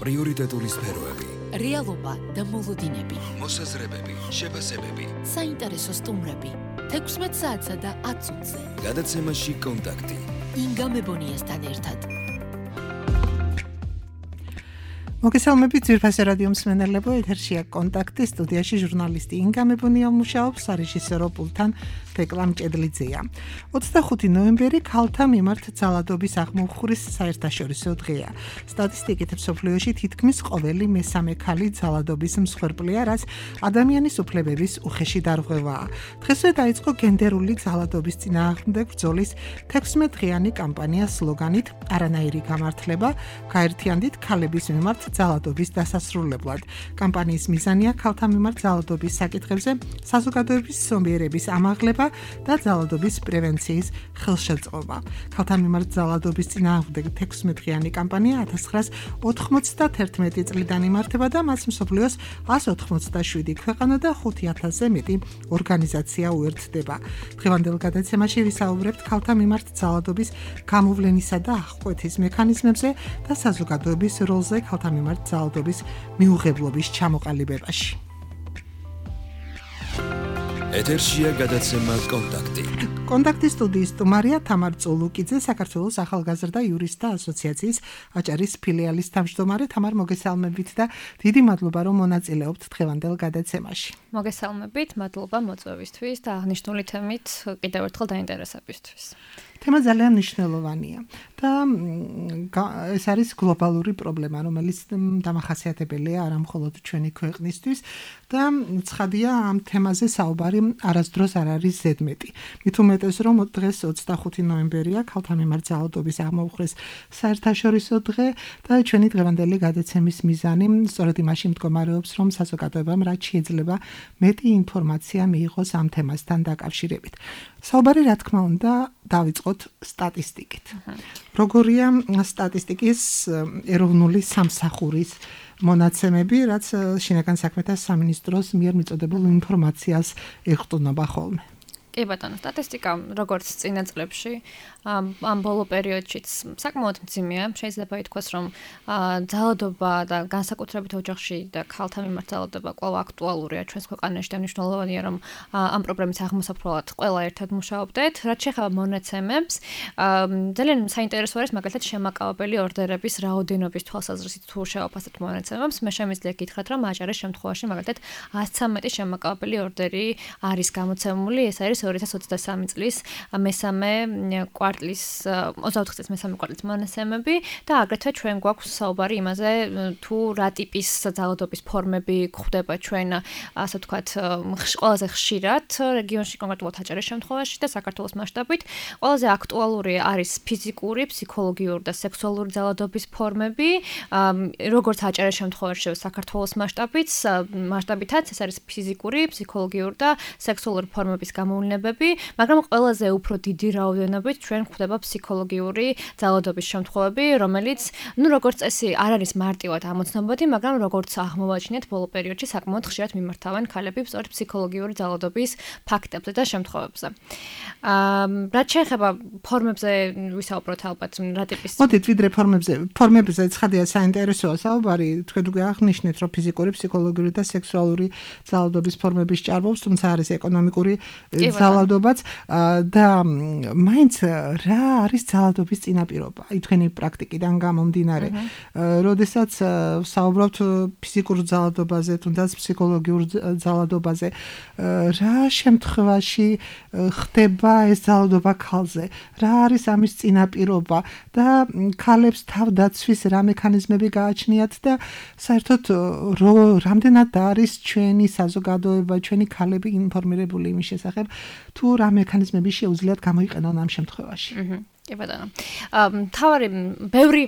პრიორიტეტული სფეროები, რეალობა და მოლოდინები, მოსაზრებები, შეფასებები, საინტერესო სტუმრები, 16 საათსა და 10 წუთზე. გადაცემაში კონტაქტი. ინგა მებონიასთან ერთად. მოგესალმებით ძვირფასი რადიო მსმენელებო, ეთერშია კონტაქტი, სტუდიაში ჟურნალისტი ინგა მებონია მუშაობს, სარეჟისორო პულტთან თეკლა მჭედლიძეა. 25 ნოემბერი ქალთა მიმართ ძალადობის აღმოფხურის საერთაშორისო დღეა. სტატისტიკით მსოფლიოში თითქმის ყოველი მესამე ქალი ძალადობის მსხვერპლია, რაც ადამიანის უფლებების უხეში დარღვევაა. დღესვე დაიწყო გენდერული ძალადობის წინააღმდეგ ბრძოლის 16 დღიანი კამპანია სლოგანით არანაირი გამართლება, გაერთიანდით ქალების მიმართ ძალადობის დასასრულებლად. კამპანიის მიზანია ქალთა მიმართ ძალადობის საკითხებზე საზოგადოების ზომიერების ამაღლება და ძალადობის პრევენციის ხელშეწყობა. ქალთა მიმართ ძალადობის წინააღმდეგ 16 დღიანი კამპანია 1991 წლიდან იმართება და მას მსოფლიოს 187 ქვეყანა და 5000-ზე მეტი ორგანიზაცია უერთდება. დღევანდელ გადაცემაში ვისაუბრებთ ქალთა მიმართ ძალადობის გამოვლენისა და აღკვეთის მექანიზმებზე და საზოგადოების როლზე ქალთა მიმართ ძალადობის მიუღებლობის ჩამოყალიბებაში. ეთერშია გადაცემა კონტაქტი. კონტაქტის სტუდიის სტუმარია თამარ წულუკიძე, საქართველოს ახალგაზრდა იურისტთა ასოციაციის აჭარის ფილიალის თავმჯდომარე. თამარ, მოგესალმებით და დიდი მადლობა, რომ მონაწილეობთ დღევანდელ გადაცემაში. მოგესალმებით, მადლობა მოწვევისთვის და აღნიშნული თემით კიდევ ერთხელ დაინტერესებისთვის. თემა ძალიან მნიშვნელოვანია და ეს არის გლობალური პრობლემა, რომელიც დამახასიათებელია არა მხოლოდ ჩვენი ქვეყნისთვის და ცხადია ამ თემაზე საუბარი არასდროს არ არის ზედმეტი. მით უმეტეს რომ დღეს 25 ნოემბერია ქალთა მიმართ ძალადობის აღმოფხურის საერთაშორისო დღე და ჩვენი დღევანდელი გადაცემის მიზანი სწორედ იმაში მდგომარეობს, რომ საზოგადოებამ რაც შეიძლება მეტი ინფორმაცია მიიღოს ამ თემასთან დაკავშირებით. საუბარი რა თქმა უნდა დავიწყოთ სტატისტიკით. როგორია სტატისტიკის ეროვნული სამსახურის მონაცემები, რაც შინაგან საქმეთა სამინისტროს მიერ მიწოდებულ ინფორმაციას ეხტუნობა ხოლმე. კი ბატონო, სტატისტიკა როგორც წინა წლებში ამ ბოლო პერიოდშიც საკმაოდ მძიმეა. შეიძლება ითქვას, რომ ძალადობა და განსაკუთრებით ოჯახში და ქალთა მიმართ ძალადობა კვლავ აქტუალურია ჩვენს ქვეყანაში და მნიშვნელოვანია, რომ ამ პრობლემის აღმოსაφროლად ყველა ერთად მუშაობდეთ. რაც შეეხება მონაცემებს, ძალიან საინტერესო არის მაგალითად შემაკავებელი ორდერების რაოდენობის თვალსაზრისით თუ შევაფასებთ მონაცემებს. მე შემიძლია გითხრათ, რომ აჭარის შემთხვევაში მაგალითად 113 შემაკავებელი ორდერი არის გამოცემული. ეს არის 2023 წლის მესამე კვარტლის 24 წლის მესამე კვარტლის მონაცემები და აგრეთვე ჩვენ გვაქვს საუბარი იმაზე თუ რა ტიპის ძალადობის ფორმები გვხვდება ჩვენ ასე ვთქვათ ყველაზე ხშირად რეგიონში, კონკრეტულად აჭარის შემთხვევაში და საქართველოს მასშტაბით. ყველაზე აქტუალური არის ფიზიკური, ფსიქოლოგიური და სექსუალური ძალადობის ფორმები, როგორც აჭარის შემთხვევაში საქართველოს მასშტაბითაც ეს არის ფიზიკური, ფსიქოლოგიური და სექსუალური ფორმების გამოვლენა, მაგრამ ყველაზე უფრო დიდი რაოდენობით ჩვენ გვხვდება ფსიქოლოგიური ძალადობის შემთხვევები, რომელიც, როგორც წესი, არ არის მარტივად ამოცნობადი, მაგრამ როგორც აღმოვაჩინეთ ბოლო პერიოდში საკმაოდ ხშირად მიმართავენ ქალები სწორედ ფსიქოლოგიური ძალადობის ფაქტებზე და შემთხვევებზე. რაც შეეხება ფორმებზე ვისაუბროთ ალბათ, რა ტიპის. მოდით ვიდრე ფორმებზე ცხადია საინტერესოა საუბარი, თქვენ უკვე აღნიშნეთ, რომ ფიზიკური, ფსიქოლოგიური და სექსუალური ძალადობის ფორმების ჭარბობს, თუმცა არის ეკონომიკური ძალადობაც და მაინც რა არის ძალადობის წინაპირობა? აი თქვენი პრაქტიკიდან გამომდინარე, როდესაც საუბრობთ ფიზიკურ ძალადობაზე, თუნდაც ფსიქოლოგიურ ძალადობაზე, რა შემთხვევაში ხდება ეს ძალადობა ქალზე? რა არის ამის წინაპირობა და ქალებს თავდაცვის რა მექანიზმები გააჩნიათ და საერთოდ რამდენად არის ჩვენი საზოგადოება, ჩვენი ქალები ინფორმირებული იმის შესახებ, თუ რა მექანიზმები შეუძლიათ გამოიყენონ ამ შემთხვევაში. კი ბატონო. თავარი ბევრი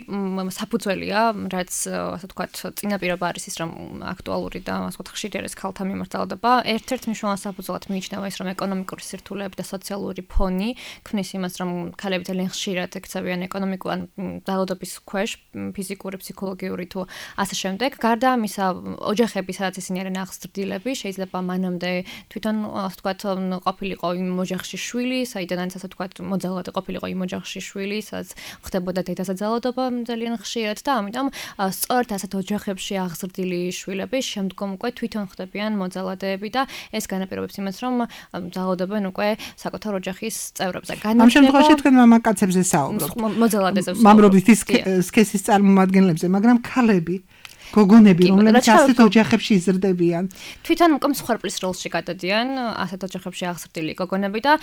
საფუძველია, რაც ასე ვთქვათ, წინაპირობა არის ის, რომ აქტუალური და ასე ვთქვათ, ხშირი არის ქალთა მიმართ ძალადობა. ერთ-ერთ მნიშვნელოვან საფუძვლად მიიჩნევა ის, რომ ეკონომიკური სირთულეები და სოციალური ფონი ქმნის იმას, რომ ქალები ძალიან ხშირად ექცევიან ეკონომიკური ძალადობის ქვეშ, ფიზიკური, ფსიქოლოგიური თუ ასე შემდეგ. გარდა ამისა, ოჯახები, სადაც ისინი არიან აღზრდილები, შეიძლება მანამდე თვითონ ასე ვთქვათ, ყოფილიყო იმ ოჯახში შვილი, საიდანაც ასე ვთქვათ, მოძალადე ყოფილიყო იმ ოჯახში ოჯახში შვილი, სადაც ხდებოდა დედასა ძალადობა ძალიან ხშირად და ამიტომ სწორედ ასეთ ოჯახებში აღზრდილი შვილები შემდგომ უკვე თვითონ ხდებიან მოძალადეები და ეს განაპირობებს იმას, რომ ძალადობენ უკვე საკუთარ ოჯახის წევრებზე. ამ შემთხვევაში თქვენ მამაკაცებზე საუბრობთ. მოძალადეებს. მამრობის სქესის წარმომადგენლებზე, მაგრამ ქალები გოგონები, რომლებიც ასეთ ოჯახებში იზრდებიან. თვითონ უკვე მსხვერპლის როლში გადადიან ასეთ ოჯახებში აღზრდილი გოგონები და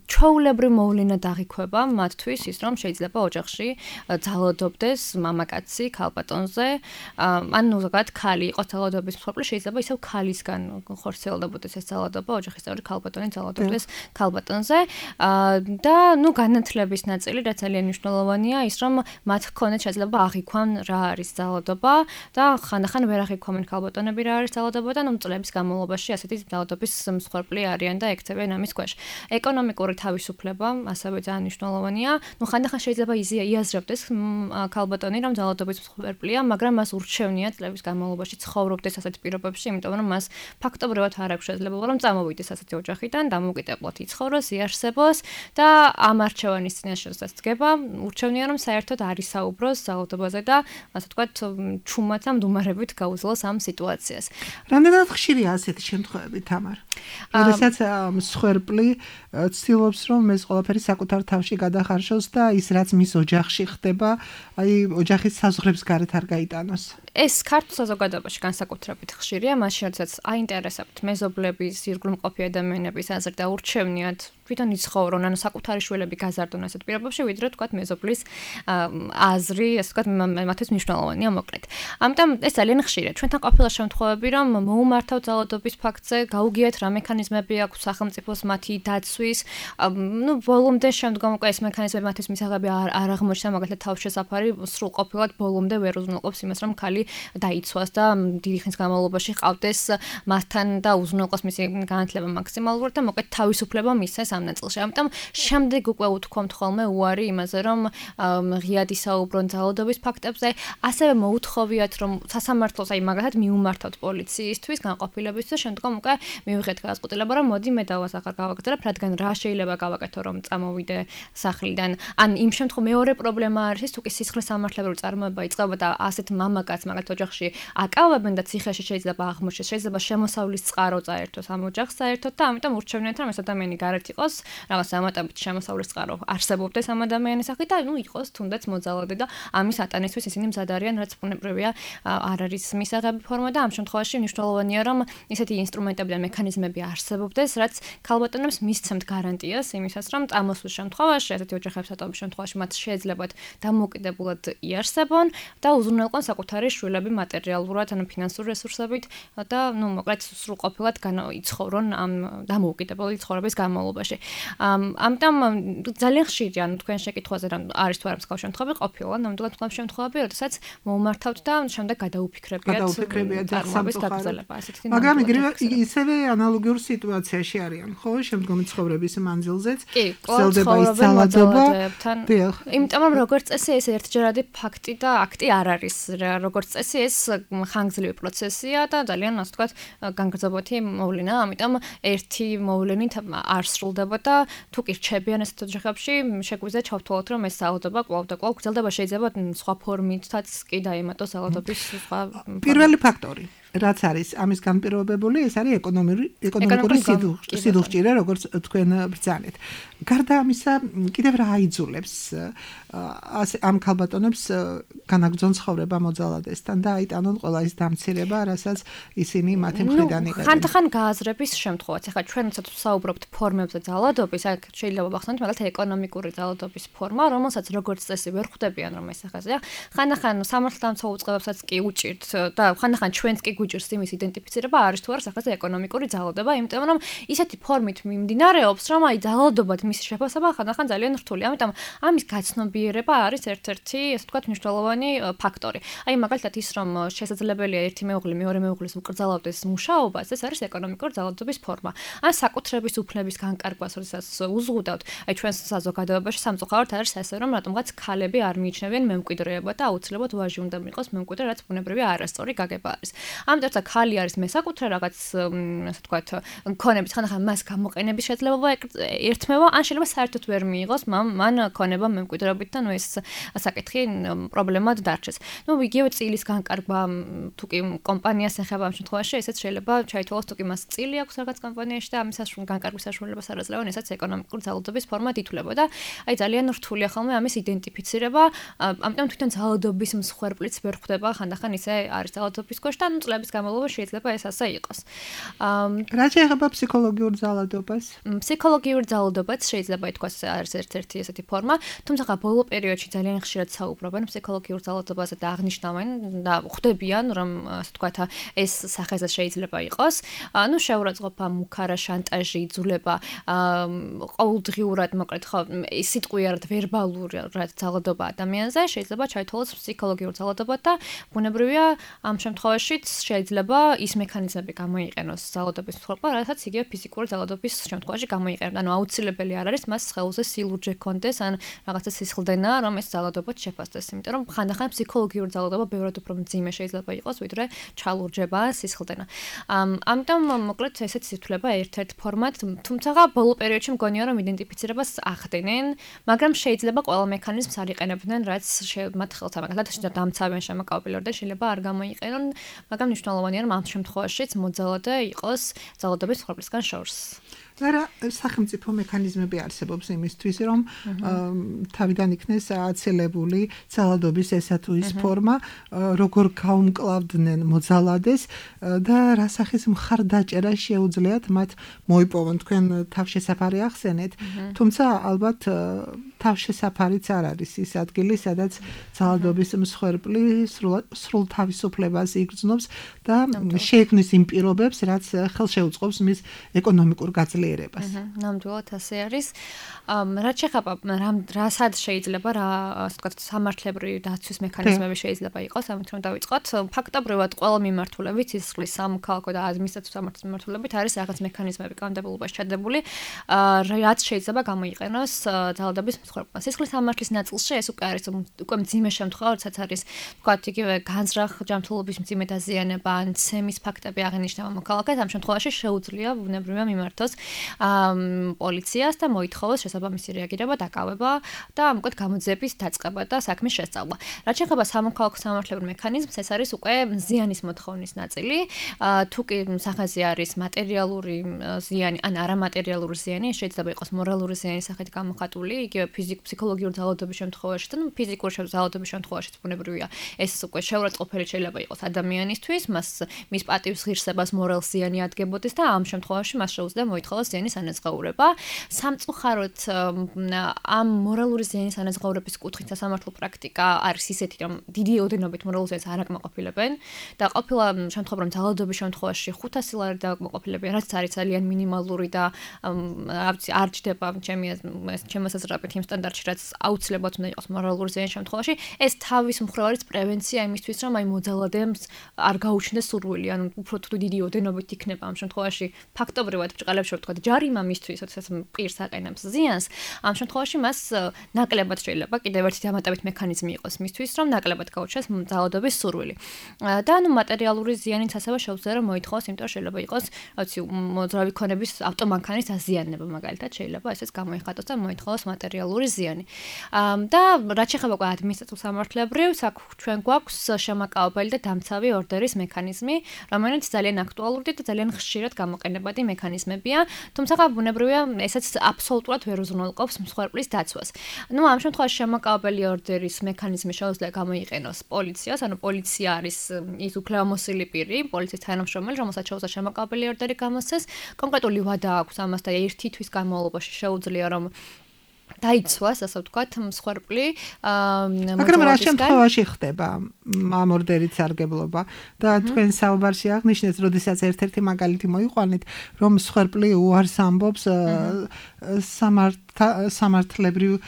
ჩვეულებრივ მოვლენა დაღიქვება მათთვის ის, რომ შეიძლება ოჯახში ძალადობდეს მამაკაცი ქალბატონზე, ანუ ზოგადად ქალი იყოს ძალადობის მსხვერპლი, შეიძლება ისევ ქალისგან ხორციელდებოდეს ეს ძალადობა, ოჯახის წევრი ქალბატონი ძალადობდეს ქალბატონზე და განათლების ნაწილი რაც ძალიან მნიშვნელოვანია ის, რომ მათ ჰქონდეთ შეიძლება აღიქვან რა არის ძალადობა და ხანდახან ვერ აღიქვამენ ქალბატონები რა არის ძალადობა და წლების განმავლობაში ასეთი ძალადობის მსხვერპლი არიან და ექცევიან ამის ქვეშ. ეკონომიკური თავისუფლება ასევე ძალიან მნიშვნელოვანია. ხანდახან შეიძლება იაზრებდეს ქალბატონი რომ ძალადობის მსხვერპლია, მაგრამ მას ურჩევნია წლების განმავლობაში ცხოვრობდეს ასეთ პირობებში, იმიტომ რომ მას ფაქტობრივად არ აქვს შესაძლებლობა რომ წამოვიდეს ასეთი ოჯახიდან, დამოუკიდებლად იცხოვროს, იარსებოს და ამ არჩევანის წინაშე რასაც დგება, ურჩევნია რომ საერთოდ არ ისაუბროს ძალადობაზე და ასე ვთქვათ, ჩუმად მდუმარებით გაუძლოს ამ სიტუაციას. რამდენად ხშირია ასეთი შემთხვევები, თამარ? როდესაც მსხვერპლი ცდილობს რომ ეს ყველაფერი საკუთარ თავში გადახარშოს და ის რაც მის ოჯახში ხდება, აი ოჯახის საზღვრებს გარეთ არ გაიტანოს. ეს ქართულ საზოგადოებაში განსაკუთრებით ხშირია, მაშინ როდესაც აინტერესებთ მეზობლების, ირგვლივმყოფი ადამიანების აზრი და ურჩევნიათ თვითონ იცხოვრონ, ანუ საკუთარი შვილები გაზარდონ ასეთ პირობებში, ვიდრე თქვათ მეზობლის აზრი, ასე ვთქვათ, მათთვის მნიშვნელოვანია მოკლედ. ამიტომ ეს ძალიან ხშირია. ჩვენთან ყოფილა შემთხვევები, რომ მოუმართავთ ძალადობის ფაქტზე, გაუგიათ რა მექანიზმები აქვს სახელმწიფოს მათი დაცვის, ბოლომდე შემდგომ უკვე ეს მექანიზმები მათთვის მისაღები არ აღმოჩნდა, მაგალითად თავშესაფარი სრულყოფილად ბოლომდე ვერ უზრუნველყოფს იმას, რომ ქალი დაიცვას და დიდი ხნის განმავლობაში ყავდეს მასთან და უზრუნველყოს მისი განათლება მაქსიმალურად და მოკლედ თავისუფლება მისცეს ამ ნაწილში. ამიტომ შემდეგ უკვე უთქვამთ ხოლმე უარი იმაზე, რომ ღიად ისაუბრონ ძალადობის ფაქტებზე, ასევე მოუთხოვიათ, რომ სასამართლოს აი მაგალითად მიუმართავთ პოლიციისთვის, განყოფილებისთვის, შემდგომ უკვე მივიღეთ გადაწყვეტილება, რომ მოდი მე დავას ახლა გავაგრძელებ, რადგან რა შეიძლება გავაკეთო, რომ წამოვიდე სახლიდან. ან იმ შემთხვევაში მეორე პრობლემა არის ის, თუ კი სისხლის სამართლებრივი წარმოება იწყება და ასეთ მამაკაც მაგალითად ოჯახში აკავებენ და ციხეში შეიძლება აღმოჩნდეს, შეიძლება შემოსავლის წყარო წაერთოს ამ ოჯახს საერთოდ და ამიტომ ურჩევნიათ, რომ ეს ადამიანი გარეთ იყოს, რაღაც ამატებით შემოსავლის წყარო არსებობდეს ამ ადამიანის სახით და იყოს თუნდაც მოძალადე და ამის ატანისთვის ისინი მზად არიან, რაც ბუნებრივია არ არის მისაღები ფორმა და ამ შემთხვევაში მნიშვნელოვანია, რომ ისეთი ინსტრუმენტები და მექანიზმები არსებობდეს, რაც ქალბატონებს მისცემთ გარანტიას იმისას, რომ წამოსვლის შემთხვევაში, ასეთი ოჯახების ატომის შემთხვევაში მათ შეეძლებათ დამოუკიდებლად იარსებონ და უზრუნველყონ საკუთარი შვილები მატერიალურად, ანუ ფინანსურ რესურსებით და მოკლედ სრულყოფილად იცხოვრონ ამ დამოუკიდებელი ცხოვრების განმავლობაში. ამიტომ ძალიან ხშირია, თქვენ შეკითხვაზე რომ არის თუ არა მსგავ შემთხვევები ყოფილა, ნამდვილად მსგავ შემთხვევები, როდესაც მოუმართავთ და შემდეგ გადაუფიქრებიათ წარმოების გაგრძელება, ასეთი. მაგრამ ისევე ანალოგიურ სიტუაციაში არიან, ხო, შემდგომი ცხოვრების მანძილზეც გრძელდება ის ძალადობა. იმიტომ რომ როგორც წესი ეს ერთჯერადი ფაქტი და აქტი არ არის. როგორც წესი ეს ხანგრძლივი პროცესია და ძალიან ასე ვთქვათ განგრძობოთი მოვლენაა, ამიტომ ერთი მოვლენით არ სრულდება და თუ კი რჩებიან ასეთ ოჯახებში, შეგვიძლია ჩავთვალოთ, რომ ეს ძალადობა კვლავ და კვლავ გრძელდება, შეიძლება სხვა ფორმითაც კი დაემატოს ძალადობის სხვა პირველი ფაქტორი რაც არის ამის განპირობებული, ეს არის ეკონომიკური სიდუხჭირე, როგორც თქვენ ბრძანეთ. გარდა ამისა, კიდევ რა აიძულებს ამ ქალბატონებს განაგრძონ ცხოვრება მოძალადესთან და აიტანონ ყველა ის დამცირება, რასაც ისინი მათი მხრიდან იღებენ. ხანდახან გააზრების შემთხვევაც. ახლა ჩვენ როდესაც ვსაუბრობთ ფორმებზე ძალადობის, აქ შეიძლება ვახსენოთ მაგალითად ეკონომიკური ძალადობის ფორმა, რომელსაც როგორც წესი ვერ ხვდებიან, რომ ეს ახაზია. ხანდახან სამართალდამცავ უწყებებსაც კი უჭირთ და ხანდახან ჩვენც კი გვიჭირს იმის იდენტიფიცირება არის თუ არა სახაზე ეკონომიკური ძალადობა, იმიტომ რომ ისეთი ფორმით მიმდინარეობს, რომ აი ძალადობად მისი შეფასება ხანდახან ძალიან რთულია. ამიტომ ამის გაცნობიერება არის ერთ-ერთი, ასე ვთქვათ, მნიშვნელოვანი ფაქტორი. აი მაგალითად ის, რომ შესაძლებელია ერთი მეუღლე მეორე მეუღლის უკრძალავდეს მუშაობას, ეს არის ეკონომიკური ძალადობის ფორმა. ან საკუთრების უფლების განკარგვას, როდესაც უზღუდავთ, აი ჩვენს საზოგადოებაში სამწუხაროდ არის ესე, რომ რატომღაც ქალები არ მიიჩნევიან მემკვიდრეებად და აუცილებლად ვაჟი უნდა მიიღოს მემკვიდრე, რაც ბუნებრივია არასწორი გაგება არის. ამიტომ და ხალი არის მესაკუთრე რაღაც ასე ვთქვათ, ქონების ხანდახან მას გამოყენების შესაძლებლობა ერთმევა, ან შეიძლება საერთოდ ვერ მიიღოს მან ქონება მემკვიდრეობით და ეს საკითხი პრობლემად დარჩეს. იგივე წილის განკარგვა თუ კი კომპანიას ეხება ამ შემთხვევაში, ესეც შეიძლება ჩაითვალოს თუ კი მას წილი აქვს რაღაც კომპანიაში და ამის განკარგვის საშუალებას არ აძლევენ, ესაც ეკონომიკური ძალადობის ფორმად ითვლებოდა. აი ძალიან რთულია ხოლმე ამის იდენტიფიცირება, ამიტომ თვითონ ძალადობის მსხვერპლიც ვერ ხვდება, ხანდახან ისე არის ძალადობის ქვეშ და წლების განმავლობაში შეიძლება ეს ასე იყოს. რა შეეხება ფსიქოლოგიურ ძალადობას? ფსიქოლოგიურ ძალადობაც შეიძლება ითქვას არის ერთ-ერთი ესეთი ფორმა, თუმცა ბოლო პერიოდში ძალიან ხშირად საუბრობენ ფსიქოლოგიურ ძალადობაზე და აღნიშნავენ და ხვდებიან, რომ ასე ვთქვათ, ეს სახეზე შეიძლება იყოს. შეურაცხყოფა, მუქარა, შანტაჟი, იძულება, ყოველდღიურად, მოკლედ ხო, სიტყვიერად, ვერბალურად ძალადობა ადამიანზე შეიძლება ჩაითვალოს ფსიქოლოგიურ ძალადობად და ბუნებრივია ამ შემთხვევაშიც შეიძლება ის მექანიზმები გამოიყენოს ძალადობის მსხვერპლმა, რასაც იგივე ფიზიკური ძალადობის შემთხვევაში გამოიყენებთ. ანუ აუცილებელი არ არის მას სხეულზე სილურჯე კონდეს ან რაღაცა სისხლდენა, რომ ეს ძალადობა შეფასდეს, იმიტომ რომ ხანდახან ფსიქოლოგიური ძალადობა ბევრად უფრო მძიმე შეიძლება იყოს, ვიდრე ჩალურჯება, სისხლდენა. ამიტომ მოკლედ ესეც ითვლება ერთ-ერთ ფორმად, თუმცა ბოლო პერიოდში მგონია რომ იდენტიფიცირებას ახდენენ, მაგრამ შეიძლება ყველა მექანიზმს არ იყენებდნენ, რაც მათ ხელთ ამაგათ და დამცავენ შემოკავებელად და შეიძლება არ გამოიყენონ, მაგრამ მნიშვნელოვანია რომ ამ შემთხვევაშიც მოძალადე იყოს ძალადობის მსხვერპლისგან შორს. არა, სახელმწიფო მექანიზმები არსებობს იმისთვის, რომ თავიდან იქნეს აცილებული ძალადობის ესა თუ ის ფორმა, როგორ გაუმკლავდნენ მოძალადეს და რა სახის მხარდაჭერა შეუძლიათ მათ მოიპოვონ. თქვენ თავშესაფარი ახსენეთ, თუმცა ალბათ თავშესაფარიც არ არის ის ადგილი, სადაც ძალადობის მსხვერპლი სრულ თავისუფლებას იგრძნობს და შეექმნის იმ პირობებს, რაც ხელშეუწყობს მის ეკონომიკურ გაძლიერებას. ნამდვილად ასე არის. რაც შეეხება რასად შეიძლება რა ასე ვთქვათ სამართლებრივი დაცვის მექანიზმები შეიძლება იყოს, ამით რომ დავიწყოთ, ფაქტობრივად ყველა მიმართულებით სისხლის სამოქალაქო და ადმინისტრაციული სამართლის მიმართულებით არის რაღაც მექანიზმები კანონმდებლობაში ჩადებული, რაც შეიძლება გამოიყენოს ძალადობის მსხვერპლმა. სისხლის სამართლის ნაწილში ეს უკვე არის უკვე მძიმე შემთხვევა, როდესაც არის ვთქვათ იგივე განზრახ ჯანმრთელობის მძიმე დაზიანება ან ცემის ფაქტები აღინიშნება მოქალაქეს, ამ შემთხვევაში შეუძლია ბუნებრივია მიმართოს პოლიციას და მოითხოვოს შესაბამისი რეაგირება, დაკავება და ამკეთ გამოძიების დაწყება და საქმის შესწავლა. რაც შეეხება სამოქალაქო სამართლებრივ მექანიზმს, ეს არის უკვე ზიანის მოთხოვნის ნაწილი. თუ კი სახეზე არის მატერიალური ზიანი ან არამატერიალური ზიანი, შეიძლება იყოს მორალური ზიანის სახით გამოხატული, იგივე ფსიქოლოგიური ძალადობის შემთხვევაში და ფიზიკური ძალადობის შემთხვევაშიც ბუნებრივია. ეს უკვე შეურაცხყოფელი შეიძლება იყოს ადამიანისთვის, მის პატივს ღირსებას მორალ ზიანი ადგებოდეს და ამ შემთხვევაში მას შეუძლია მოითხოვოს ზიანის ანაზღაურება. სამწუხაროდ ამ მორალური ზიანის ანაზღაურების კუთხით სასამართლო პრაქტიკა არის ისეთი, რომ დიდი ოდენობით მორალურ ზიანს არ აკმაყოფილებენ და ყოფილა შემთხვევა, რომ ძალადობის შემთხვევაში 500 ლარი დააკმაყოფილებიან, რაც არის ძალიან მინიმალური და არ ჯდება ჩემი მოსაზრებით იმ სტანდარტში, რაც აუცილებლად უნდა იყოს მორალურ ზიანის შემთხვევაში. ეს თავის მხრივ არის პრევენცია იმისთვის, რომ აი მოძალადემს არ გაუჩნდეს სურვილი, ანუ უფრო თუ დიდი ოდენობით იქნება ამ შემთხვევაში ფაქტობრივად ბრჭყალებში ვთქვათ ჯარიმა მისთვის, როდესაც პირს აყენებს ზიანს, ამ შემთხვევაში მას ნაკლებად შეიძლება კიდევ ერთი დამატებით მექანიზმი იყოს მისთვის, რომ ნაკლებად გაუჩნდეს ძალადობის სურვილი. და ანუ მატერიალური ზიანიც ასევე შეუძლია რომ მოითხოვოს, იმიტომ რომ შეიძლება იყოს, რაცი მოძრავი ქონების ავტომანქანის დაზიანება მაგალითად შეიძლება ესეც გამოიხატოს და მოითხოვოს მატერიალური ზიანი. და რაც შეეხება ადმინისტრაციულ სამართლებრივ, ჩვენ გვაქვს შემაკავებელი და დამცავი ორდერის მექანიზმი, რომელიც ძალიან აქტუალური და ძალიან ხშირად გამოყენებადი მექანიზმებია, თუმცა ბუნებრივია ესაც აბსოლუტურად ვერ უზრუნველყოფს მსხვერპლის დაცვას. ამ შემთხვევაში შემაკავებელი ორდერის მექანიზმი შეუძლია გამოიყენოს პოლიციას, ანუ პოლიცია არის ის უფლებამოსილი პირი, პოლიციის თანამშრომელი, რომელსაც შეუძლია შემაკავებელი ორდერი გამოსცეს, კონკრეტული ვადა აქვს ამას და ერთი თვის განმავლობაში შეუძლია რომ დაიცვას, ასე ვთქვათ, მსხვერპლი მაგრამ რა შემთხვევაში ხდება ამ ორდერით სარგებლობა და თქვენ საუბარში აღნიშნეთ, როდესაც ერთ-ერთი მაგალითი მოიყვანეთ, რომ მსხვერპლი უარს ამბობს სამართლებრივი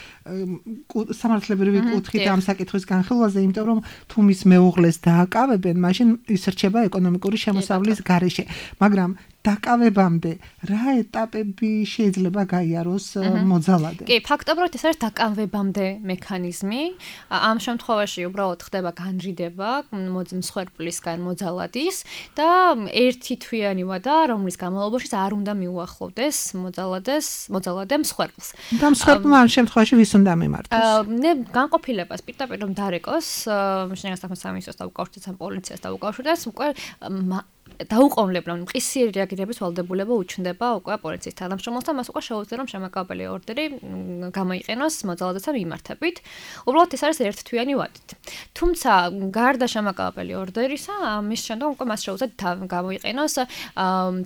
კუთხით ამ საკითხის განხილვაზე, იმიტომ რომ თუ მის მეუღლეს დააკავებენ, მაშინ ის რჩება ეკონომიკური შემოსავლის გარეშე. მაგრამ დაკავებამდე რა ეტაპები შეიძლება გაიაროს მოძალადე? კი, ფაქტობრივად ეს არის დაკავებამდე მექანიზმი. ამ შემთხვევაში უბრალოდ ხდება განრიდება მსხვერპლისგან მოძალადის და ერთი თვიანი ვადა, რომლის განმავლობაში არ უნდა მიუახლოვდეს მოძალადე მსხვერპლს. და მსხვერპლმა ამ შემთხვევაში ვის უნდა მიმართოს? განყოფილებას პირდაპირ რომ დარეკოს, შინაგან სამინისტროს დაუკავშირდეს ან პოლიციას დაუკავშირდეს, უკვე დაუყოვნებლივ მყისიერი რეაგირების ვალდებულება უჩნდება უკვე პოლიციის თანამშრომელს და მას უკვე შეუძლია რომ შემაკავებელი ორდერი გამოიყენოს მოძალადესთან მიმართებით. უბრალოდ ეს არის ერთთვიანი ვადით. თუმცა გარდა შემაკავებელი ორდერისა, ამის შემდგომ უკვე მას შეუძლია გამოიყენოს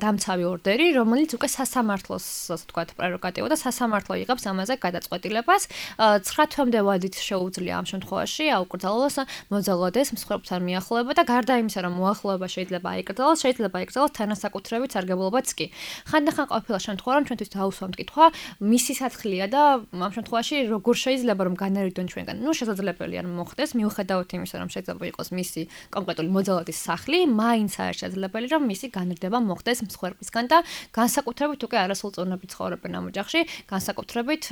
დამცავი ორდერი, რომელიც უკვე სასამართლოს, ასე ვთქვათ, პრეროგატივა და სასამართლო იღებს ამაზე გადაწყვეტილებას. 9 თვემდე ვადით შეუძლია ამ შემთხვევაში აუკრძალოს მოძალადეს მსხვერპლთან მიახლოება და გარდა იმისა, რომ მოახლოება შეიძლება აიკრძალოს, შეიძლება იკრძალოს თანასაკუთრებით სარგებლობაც კი. ხანდახან ყოფილა შემთხვევა, რომ ჩვენთვის დაუსვამთ კითხვა, მისი სათხილია და ამ შემთხვევაში როგორ შეიძლება რომ განერიდონ ჩვენგან. შესაძლებელია რომ მოხდეს, მიუხედავად იმისა, რომ შეიძლება იყოს მისი კონკრეტული მოძალადის სახლი, მაინც არის შესაძლებელი რომ მისი განრიდება მოხდეს მსხვერპლისგან და განსაკუთრებით უკვე არასრულწლოვნები ცხოვრობენ ამ ოჯახში, განსაკუთრებით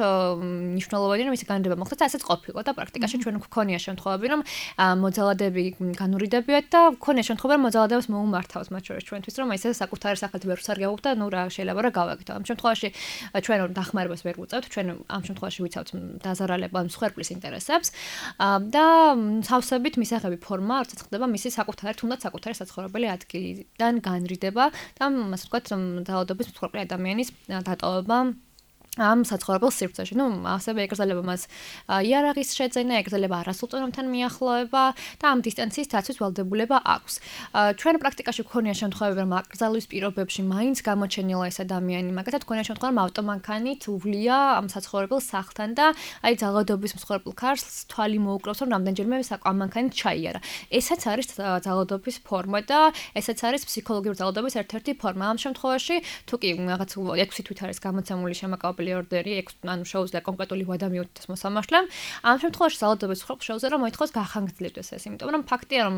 მნიშვნელოვანია რომ მისი განრიდება მოხდეს და ასეც ყოფილა და პრაქტიკაში ჩვენ გვქონია შემთხვევები, რომ მოძალადები განურიდებიათ და გვქონია შემთხვევები, რომ მოძალადებას მოუმართავს მათ შორის ჩვენთვის რომ ესე საკუთარი სახელით ვერ ვსარგებლობთ და ნუ რა შეიძლება რა გავაკეთო. ამ შემთხვევაში ჩვენ დახმარებას ვერ ვუწევთ, ჩვენ ამ შემთხვევაში ვიცავთ დაზარალება მსხვერპლის ინტერესებს და სავსებით მისაღები ფორმა არც ხდება მისი საკუთარი თუნდაც საკუთარი საცხოვრებელი ადგილიდან განრიდება და ასე ვთქვათ ძალადობის მსხვერპლი ადამიანის დატოვება ამ საცხოვრებელ სივრცეში. ასევე ეკრძალება მას იარაღის შეძენა, ეკრძალება არასრულწლოვნებთან მიახლოება და ამ დისტანციის დაცვის ვალდებულება აქვს. ჩვენ პრაქტიკაში გვქონია შემთხვევები, რომ აკრძალვის პირობებში მაინც გამოჩენილა ეს ადამიანი, მაგათაც გვქონია შემთხვევა, რომ ავტომანქანით უვლია ამ საცხოვრებელ სახლთან და აი ძალადობის მსხვერპლ ქარს თვალი მოუკრავს, რომ რამდენჯერმე ამ მანქანით ჩაიარა. ესაც არის ძალადობის ფორმა და ესაც არის ფსიქოლოგიური ძალადობის ერთ-ერთი ფორმა. ამ შემთხვევაში თუ კი რაღაც 6 თვით არის გამოცემული შემაკავებელი ორდერი, ანუ შეუძლია კონკრეტული ვადა მიუთითოს მოსამართლემ. ამ შემთხვევაში ძალადობის მსხვერპლს შეუძლია რომ მოითხოვოს გახანგრძლივდეს ეს, იმიტომ რომ ფაქტია რომ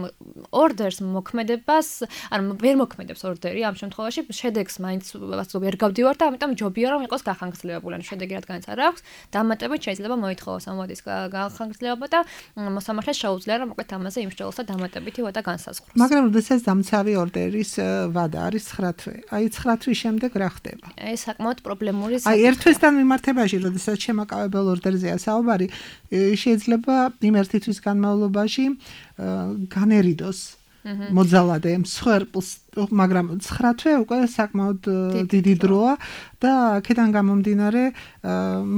ორდერს მოქმედებას, ანუ ვერ მოქმედებს ორდერი ამ შემთხვევაში, შედეგს მაინც ვერ გავდივარ და ამიტომ ჯობია რომ იყოს გახანგრძლივებული, ანუ შედეგი რადგანაც არ აქვს, დამატებით შეიძლება მოითხოვოს ამ ვადის გახანგრძლივება და მოსამართლეს შეუძლია რომ მოკლედ ამაზე იმსჯელოს და დამატებითი ვადა განსაზღვროს. მაგრამ როდესაც დამცავი ორდერის ვადა არის 9 თვე, აი 9 თვის შემდეგ რა ხდება? ეს საკმაოდ პრობლემური თან მიმართებაში, როდესაც შემაკავებელ ორდერზეა საუბარი, შეიძლება იმ ერთი თვის განმავლობაში განერიდოს მოძალადე მსხვერპლს, მაგრამ 9 თვე უკვე საკმაოდ დიდი დროა და აქედან გამომდინარე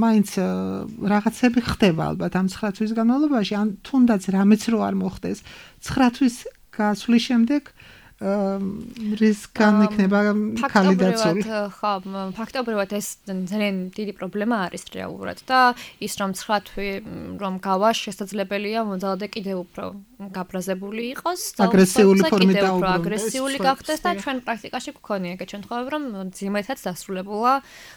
მაინც რაღაცები ხდება ალბათ ამ 9 თვის განმავლობაში, ან თუნდაც რამეც რო არ მოხდეს 9 თვის გასვლის შემდეგ რისკან იქნება ქალი დაცული. ხო, ფაქტობრივად ეს ძალიან დიდი პრობლემა არის რეალურად და ის რომ 9 თვე რომ გავა შესაძლებელია მოძალადე კიდევ უფრო გაბრაზებული იყოს და აგრესიული ფორმით დაუბრუნდეს. აგრესიული გახდეს და ჩვენ პრაქტიკაში გვქონია ეგეთ შემთხვევები, რომ ძიმეთაც დასრულებულა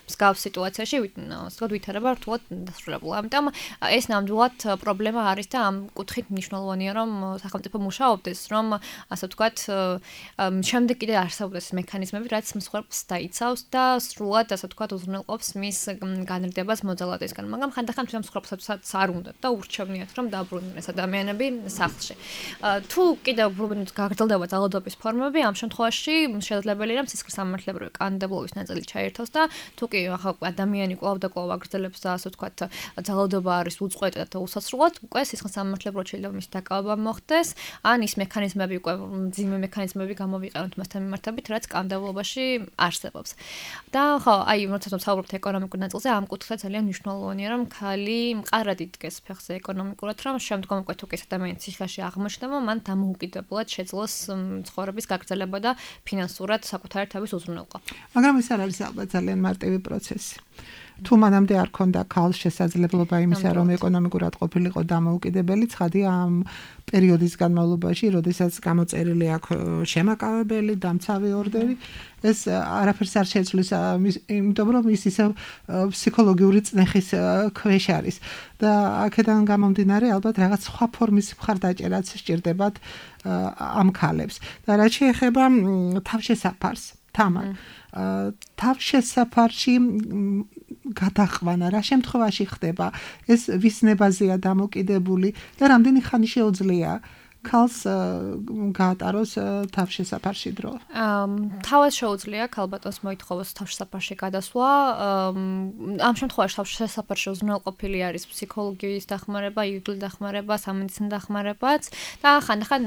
მსგავს სიტუაციაში, ასე ვითარება რთულად დასრულებულა. ამიტომ ეს ნამდვილად პრობლემა არის და ამ კუთხით მნიშვნელოვანია რომ სახელმწიფო მუშაობდეს, რომ ასე ვთქვათ შემდეგ კიდე არსებობს მექანიზმები, რაც მსხვერპლს დაიცავს და სრულად ასე ვთქვათ უზრუნველყოფს მის განრიდებას მოძალადესგან. მაგრამ ხანდახან თვითონ მსხვერპლსაც არ უნდათ და ურჩევნიათ რომ დაბრუნდნენ ეს ადამიანები სახლში. თუ კიდევ გაგრძელდება ძალადობის ფორმები, ამ შემთხვევაში შესაძლებელია რომ სისხლის სამართლებრივი კანონმდებლობის ნაწილი ჩაერთოს და თუ კი ადამიანი კვლავ და კვლავ აგრძელებს და ასე ვთქვათ ძალადობა არის უწყვეტად და უსასრულოდ, უკვე სისხლის სამართლებრივად შეიძლება მის დაკავება მოხდეს, ან ის მექანიზმები უკვე ძიმე მექანიზმები გამოვიყენოთ მასთან მიმართებით, რაც კანონმდებლობაში არსებობს. და ხო, აი, როდესაც ვსაუბრობთ ეკონომიკურ ნაწილზე, ამ კუთხე ძალიან მნიშვნელოვანია, რომ ქალი მყარად იდგეს ფეხზე ეკონომიკურად, რომ შემდგომ უკვე თუ კი ეს ადამიანი ციხეში აღმოჩნდება, მან დამოუკიდებლად შეძლოს ცხოვრების გაგრძელება და ფინანსურად საკუთარი თავის უზრუნველყოფა. მაგრამ ეს არ არის ალბათ ძალიან მარტივი პროცესი. თუ მანამდე არ ქონდა ქალს შესაძლებლობა იმისა, რომ ეკონომიკურად ყოფილიყო დამოუკიდებელი, ცხადია ამ პერიოდის განმავლობაში, როდესაც გამოწერილი აქვს შემაკავებელი, დამცავი ორდერი, ეს არაფერს არ შეცვლის, იმიტომ რომ ის ისევ ფსიქოლოგიური წნეხის ქვეშ არის და აქედან გამომდინარე ალბათ რაღაც სხვა ფორმის მხარდაჭერაც სჭირდებათ ამ ქალებს. და რაც შეეხება თავშესაფარს, თამარ თავშესაფარში გადაყვანა რა შემთხვევაში ხდება? ეს ვის ნებაზეა დამოკიდებული და რამდენი ხანი შეუძლია ქალს გაატაროს თავშესაფარში დრო? თავად შეუძლია ქალბატონს მოითხოვოს თავშესაფარში გადასვლა. ამ შემთხვევაში თავშესაფარში უზრუნველყოფილი არის ფსიქოლოგიის დახმარება, იურიდიული დახმარება, სამედიცინო დახმარებაც და ხანდახან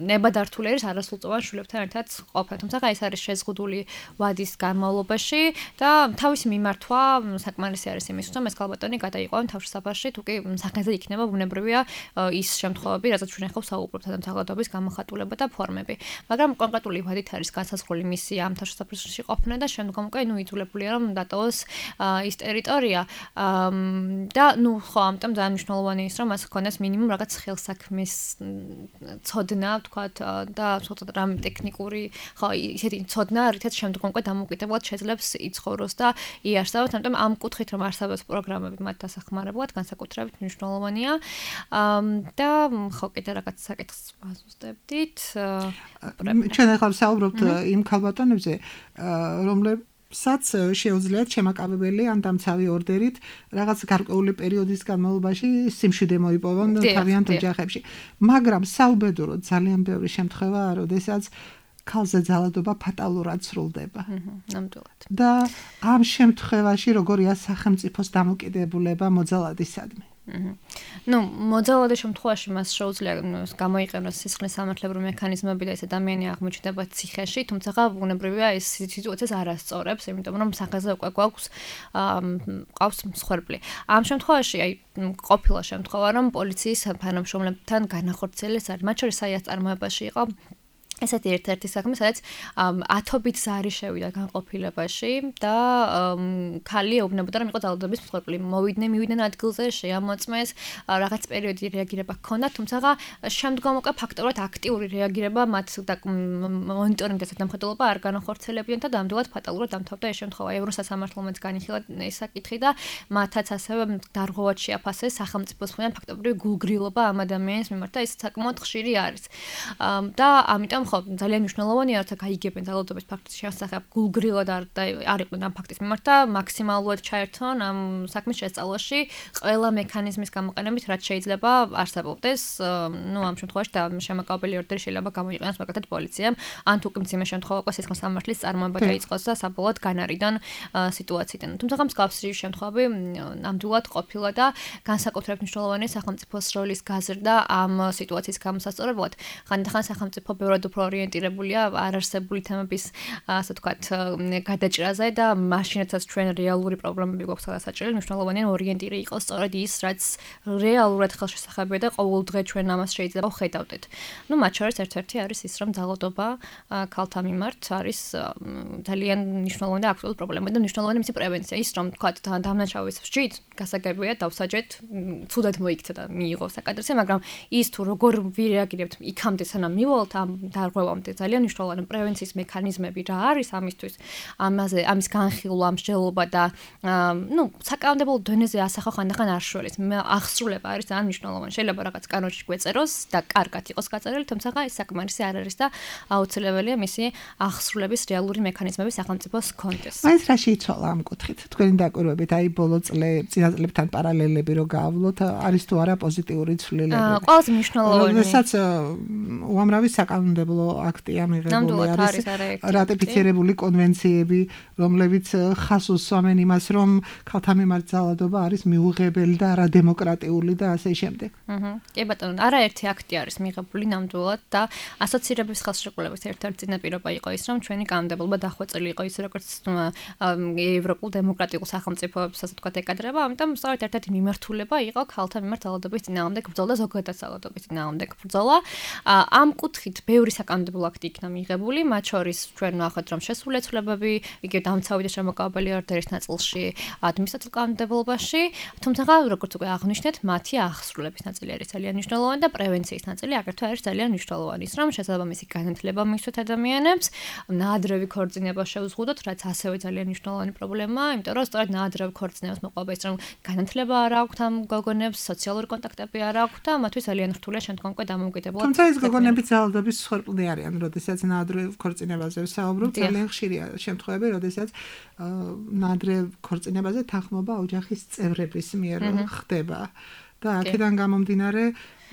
ნებადართული არის არასრულწლოვან შვილებთან ერთად ყოფნა. თუმცა ეს არის შეზღუდული ვადის განმავლობაში და თავისი მიმართვა საკმარისი არის იმისთვის, რომ ეს ქალბატონი გადაიყვანონ თავშესაფარში, თუ კი სახეზე იქნება ბუნებრივია ის შემთხვევები, რაზეც ჩვენ ახლა საუბრობთ. თანამშრომლობის გამოხატულება და ფორმები. მაგრამ კონკრეტული ვადით არის განსაზღვრული მისი ამ თავშესაფარში ყოფნა და შემდგომ უკვე იძულებულია რომ დატოვოს ის ტერიტორია და ხო ამიტომ ძალიან მნიშვნელოვანი ის რომ მას ჰქონდეს მინიმუმ რაღაც ხელსაქმის ცოდნა, ვთქვათ, და ცოტა რამ ტექნიკური ხო ისეთი ცოდნა, რითაც შემდგომ უკვე დამოუკიდებლად შეძლებს იცხოვროს და იარსებოს, ამიტომ ამ კუთხით რომ არსებობს პროგრამები მათ დასახმარებლად, განსაკუთრებით მნიშვნელოვანია და ხო კიდე რაღაც საკითხი ვაზუსტებდით. ჩვენ ახლა საუბრობთ იმ ქალბატონებზე, რომლებსაც შეუძლიათ შემაკავებელი ან დამცავი ორდერით რაღაც გარკვეული პერიოდის განმავლობაში სიმშვიდე მოიპოვონ თავიანთ ოჯახებში. მაგრამ საუბედუროდ ძალიან ბევრი შემთხვევაა, როდესაც ქალზე ძალადობა ფატალურად სრულდება. ნამდვილად. და ამ შემთხვევაში როგორია სახელმწიფოს დამოკიდებულება მოძალადისადმი? მოძალადის შემთხვევაში მას შეუძლია გამოიყენოს სისხლის სამართლებრივი მექანიზმები და ეს ადამიანი აღმოჩნდება ციხეში, თუმცა ბუნებრივია ეს სიტუაციას არ ასწორებს, იმიტომ რომ სახეზე უკვე ყავს მსხვერპლი. ამ შემთხვევაში ყოფილა შემთხვევა, რომ პოლიციის თანამშრომლებთან განახორციელეს არის, მათ შორის საიას წარმოებაში იყო ესეთი ერთ-ერთი საქმე, სადაც ათობით ზარი შევიდა განყოფილებაში და ქალი ეუბნებოდა, რომ იყო ძალადობის მსხვერპლი. მივიდნენ ადგილზე, შეამოწმეს, რაღაც პერიოდი რეაგირება ჰქონდა, თუმცა შემდგომ უკვე ფაქტობრივად აქტიური რეაგირება მათ მონიტორინგის დამხატულობა არ განახორციელებიათ და ნამდვილად ფატალურად დამთავრდა ეს შემთხვევა. ევროსასამართლომაც განიხილა ეს საკითხი და მათაც ასევე დარღვევად შეაფასეს სახელმწიფოს მხრიდან ფაქტობრივი გულგრილობა ამ ადამიანის მიმართ და ეს საკმაოდ ხშირი არის. და ამიტომ ძალიან მნიშვნელოვანია, რომ გაიგებენ ძალადობის ფაქტის შესახებ გულგრილად არ იყვნენ ამ ფაქტის მიმართ და მაქსიმალურად ჩაერთონ ამ საქმის შესწავლაში ყველა მექანიზმის გამოყენებით, რაც შეიძლება არსებობდეს. ამ შემთხვევაში და შემაკავებელი ორდერი შეიძლება გამოიყენოს მაგალითად პოლიციამ, ან თუ კი მძიმე შემთხვევა უკვე სისხლის სამართლის წარმოება დაიწყოს და საბოლოოდ განარიდან სიტუაციიდან. თუმცა მსგავსი შემთხვევები ნამდვილად ყოფილა და განსაკუთრებით მნიშვნელოვანია სახელმწიფოს როლის გაზრდა ამ სიტუაციის გამოსასწორებლად. ხანდახან სახელმწიფო ბევრად უფრო ორიენტირებულია არარსებული თემების, ასე ვთქვათ, გადაჭრაზე და მაშინაც ჩვენ რეალური პრობლემები გვაქვს გადასაჭრელი, მნიშვნელოვანია ორიენტირი იყოს სწორედ ის, რაც რეალურად ხელშესახებია და ყოველ დღე ჩვენ ამას შეიძლება ვხედავდეთ. მათ შორის ერთ-ერთი არის ის, რომ ძალადობა ქალთა მიმართ არის ძალიან მნიშვნელოვანი და აქტუალური პრობლემა და მნიშვნელოვანი მისი პრევენცია. ის რომ ვთქვათ, დამნაშავის ვსჯით, გასაგებია დავსაჯეთ, ცუდად მოიქცა და მიიღო საკადრზე, მაგრამ ის თუ როგორ ვირეაგირებთ იქამდე სანამ მივალთ ამ დარღვევამდე ძალიან მნიშვნელოვანი პრევენციის მექანიზმები რა არის ამისთვის, ამის განხილვა, მსჯელობა და საკანონმდებლო დონეზე ასახვა ხანდახან არ შველის. აღსრულება არის ძალიან მნიშვნელოვანი. შეიძლება რაღაც კანონში გვეწეროს და კარგად იყოს გაწერილი, თუმცა ეს საკმარისი არ არის და აუცილებელია მისი აღსრულების რეალური მექანიზმები სახელმწიფოს ჰქონდეს. მაინც რა შეიცვალა ამ კუთხით? თქვენი დაკვირვებით, ბოლო წინა წლებთან პარალელები რო გავავლოთ, არის თუ არა პოზიტიური ცვლილებები? ყველაზე მნიშვნელოვანი. როდესაც უამრავი საკანონმდებლო აქტია მიღებული არის, რატიფიცირებული კონვენციები, რომლებიც ხაზს უსვამენ იმას, რომ ქალთა მიმართ ძალადობა არის მიუღებელი და არადემოკრატიული და ასე შემდეგ. კი ბატონო, არაერთი აქტი არის მიღებული ნამდვილად და ასოცირების ხელშეკრულების ერთ-ერთი წინაპირობა იყო ის, რომ ჩვენი კანონმდებლობა დახვეწილი იყო ის, როგორც ევროპულ დემოკრატიულ სახელმწიფოებს, ასე ვთქვათ, ეკადრება, ამიტომ სწორედ ერთ-ერთი მიმართულება იყო ქალთა მიმართ ძალადობის წინააღმდეგ ბრძოლა და ზოგადად ძალადობის წინააღმდეგ ბრძოლა. ამ კუთხით ბევრი საკანონმდებლო აქტი იქნა მიღებული, მათ შორის ჩვენ ნახეთ, რომ შესრულებები, იგივე დამცავი და შემოკავებელი ორდერის ნაწილში, ადმინისტრაციულ კანონმდებლობაში, თუმცა როგორც უკვე აღნიშნეთ, მათი აღსრულების ნაწილი არის ძალიან მნიშვნელოვანი და პრევენციის ნაწილი აგრეთვე არის ძალიან მნიშვნელოვანი, ის რომ შესაბამისი განათლება მისცეთ ადამიანებს, ნაადრევი ქორწინება შევზღუდოთ, რაც ასევე ძალიან მნიშვნელოვანი პრობლემაა, იმიტომ რომ სწორედ ნაადრევი ქორწინებას მოყვება ის, რომ განათლება არ აქვთ ამ გოგონებს, სოციალური კონტაქტები არ აქვთ და მათთვის ძალიან რთულია შემდგომ უკვე დამოუკიდებლად. თუმცა ეს გოგონები ძალადობის მსხვერპლი არიან, როდესაც ნაადრევ ქორწინებაზე ვსაუბრობთ, ძალიან ხშირია შემთხვევები, როდესაც ნაადრევ ქორწინებაზე თანხმობა ოჯახის წევრების მიერ ხდება. და აქედან გამომდინარე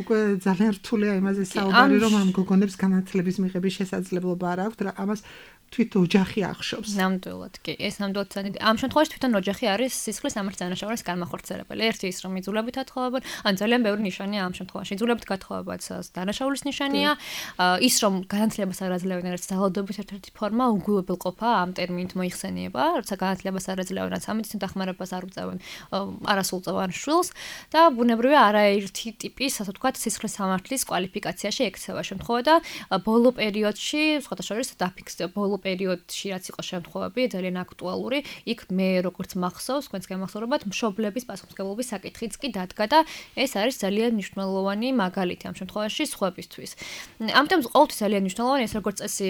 უკვე ძალიან რთულია იმაზე საუბარი, რომ ამ გოგონებს განათლების მიღების შესაძლებლობა არ აქვთ და ამას თვით ოჯახი ახშობს. ნამდვილად, კი, ეს ნამდვილად ძალიან. ამ შემთხვევაში თვითონ ოჯახი არის სისხლის სამართლის დანაშაულის განმახორციელებელი. ერთი ის რომ იძულებით ათხოვებენ, ან ძალიან ბევრი ნიშანია ამ შემთხვევაში. იძულებით გათხოვებაც დანაშაულის ნიშანია. ის რომ განათლებას არ აძლევენ, რაც ძალადობის ერთ-ერთი ფორმა, უგულებელყოფა ამ ტერმინით მოიხსენიება, როცა განათლებას არ აძლევენ, რაც სამედიცინო დახმარებას არ უწევენ არასრულწლოვან შვილს და ბუნებრივია არაერთი ტიპის, ასე ვთქვათ, სისხლის სამართლის კვალიფიკაციაში ექცევა შემთხვევა და ბოლო პერიოდში, სხვათა შორის დაფიქსირდა ბოლო პერიოდში რაც იყო შემთხვევები ძალიან აქტუალური, იქ მე როგორც მახსოვს, თქვენს გამახსოვრებათ, მშობლების პასუხისმგებლობის საკითხიც კი დადგა და ეს არის ძალიან მნიშვნელოვანი მაგალითი ამ შემთხვევაში სხვებისთვის. ამიტომ ყოველთვის ძალიან მნიშვნელოვანია ეს როგორც წესი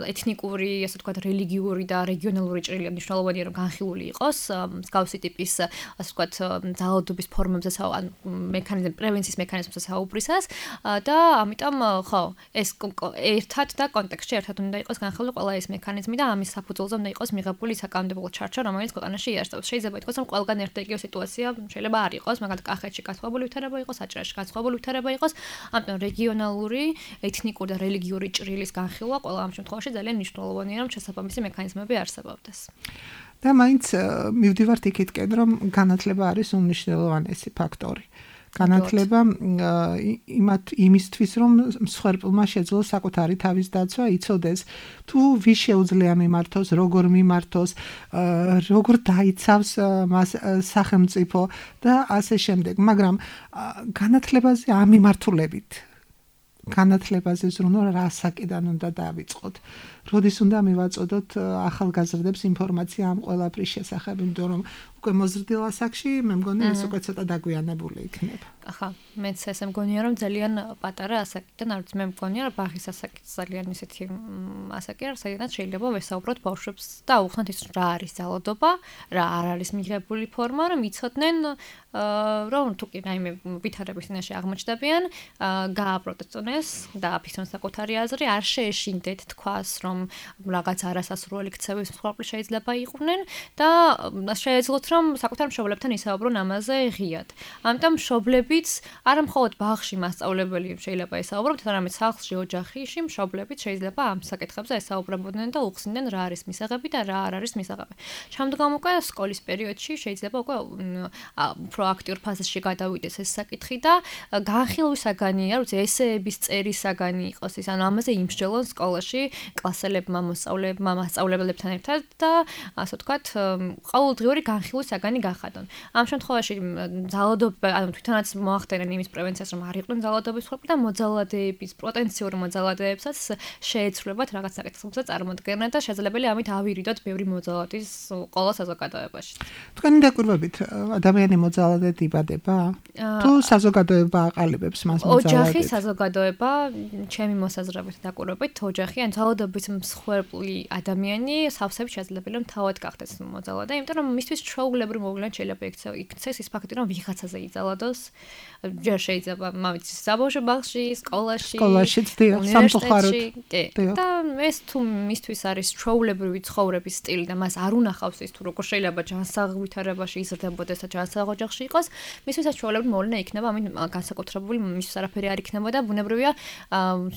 ეთნიკური, ასე ვთქვათ, რელიგიური და რეგიონალური ჭრილი მნიშვნელოვანია რომ განხილული იყოს მსგავსი ტიპის, ასე ვთქვათ, ძალადობის ფორმებზე ან მექანიზმ პრევენციის მექანიზმზე საუბრისას და ამიტომ ხო, ეს ერთად და კონტექსტში ერთად უნდა იყოს განხილული ყველა ეს მექანიზმი და ამის საფუძველზე უნდა იყოს მიღებული საკანონმდებლო ჩარჩა, რომელიც ქვეყანაში იარსებობს. შეიძლება ითქვას, რომ ყველგან ერთ და იგივე სიტუაცია შეიძლება არ იყოს, მაგალითად კახეთში განსხვავებული ვითარება იყოს, აჭარაში განსხვავებული ვითარება იყოს, ამიტომ რეგიონალური, ეთნიკური და რელიგიური ჭრილის განხილვა ყველა ამ შემთხვევაში ძალიან მნიშვნელოვანია, რომ შესაბამისი მექანიზმები არსებობდეს. და მაინც მივდივართ იქითკენ, რომ განათლება არის უმნიშვნელოვანესი ფაქტორი. განათლება იმისთვის, რომ მსხვერპლმა შეძლოს საკუთარი თავის დაცვა, იცოდეს თუ ვის შეუძლია მიმართოს, როგორ მიმართოს, როგორ დაიცავს მას სახელმწიფო და ასე შემდეგ. მაგრამ განათლებაზე ამ მიმართულებით განათლებაზე ზრუნვა რასაკიდან უნდა დავიწყოთ. როდის უნდა მივაწოდოთ ახალგაზრდებს ინფორმაცია ამ ყველაფრის შესახებ, იმიტომ რომ უკვე მოზრდილ ასაკში მე მგონი ეს უკვე ცოტა დაგვიანებული იქნება. ახლა მეც ესე მგონია რომ ძალიან პატარა ასაკიდან, არც მე მგონია რომ ბაღის ასაკი ძალიან ისეთი ასაკი არის, სადაც შეიძლება ვესაუბროთ ბავშვებს და აუხსნათ ის რა არის ძალადობა, რა არ არის მიღებული ფორმა, რომ იცოდნენ რომ თუ კი რაიმე ვითარების წინაშე აღმოჩნდებიან, გააპროტესტონ ეს და აფიქრონ საკუთარი აზრი, არ შეეშინდეთ თქვას, რომ რაღაც არასასრული ქცევის მსხვერპლი შეიძლება იყვნენ და შეეძლოთ რომ საკუთარ მშობლებთან ისაუბრონ ამაზე ღიად. ამიტომ მშობლებიც არა მხოლოდ ბაღში მასწავლებელი შეიძლება ესაუბროთ, არამედ სახლში, ოჯახში მშობლებიც შეიძლება ამ საკითხებზე ესაუბრებოდნენ და უხსნიდნენ რა არის მისაღები და რა არ არის მისაღები. შემდგომ უკვე სკოლის პერიოდში შეიძლება უკვე პროაქტიურ ფაზაში გადავიდეს ეს საკითხი და განხილვისაგანია, როცა ესეების წერისაგანი იყოს ის, ანუ ამაზე იმსჯელონ სკოლაში კლასელებმა, მოსწავლეებმა, მასწავლებლებთან ერთად და ასე ვთქვათ, ყოველდღიური განხილვისაგანი გახადონ. ამ შემთხვევაში ძალადობა, ანუ თვითონაც მოახდენენ იმის პრევენციას, რომ არ იყვნენ ძალადობის მსხვერპლი და მოძალადეების, პოტენციურ მოძალადეებსაც შეეცვლებათ რაღაც საკითხებზე წარმოდგენა და შესაძლებელია ამით ავირიდოთ ბევრი მოძალადის ყველა საზოგადოებაში. თქვენი დაკვირვებით ადამიანი მოძალადედ იბადება? თუ საზოგადოება აყალიბებს მას მოძალადედ? ოჯახი, საზოგადოება, ჩემი მოსაზრებით დაკვირვებით, ოჯახი ან ძალადობის მსხვერპლი ადამიანი სავსებით შესაძლებელია რომ თავად გახდეს მოძალადე, იმიტომ რომ მისთვის ჩვეულებრივ მოვლენად შეიძლება იქცეს ის ფაქტი, რომ ვიღაცაზე იძალადოს. ჯერ შეიძლება მამიცის საბავშვო ბაღში, სკოლაში, სამწუხაროდ. და ეს თუ მისთვის არის ჩვეულებრივი ცხოვრების სტილი და მას არ უნახავს ის თუ როგორ შეიძლება ჯანსაღ ვითარებაში იზრდებოდეს და ჯანსაღ ოჯახში იყოს, მისთვის ჩვეულებრივ მოვლენა იქნება, ამით განსაკუთრებული მისთვის არაფერი არ იქნება და ბუნებრივია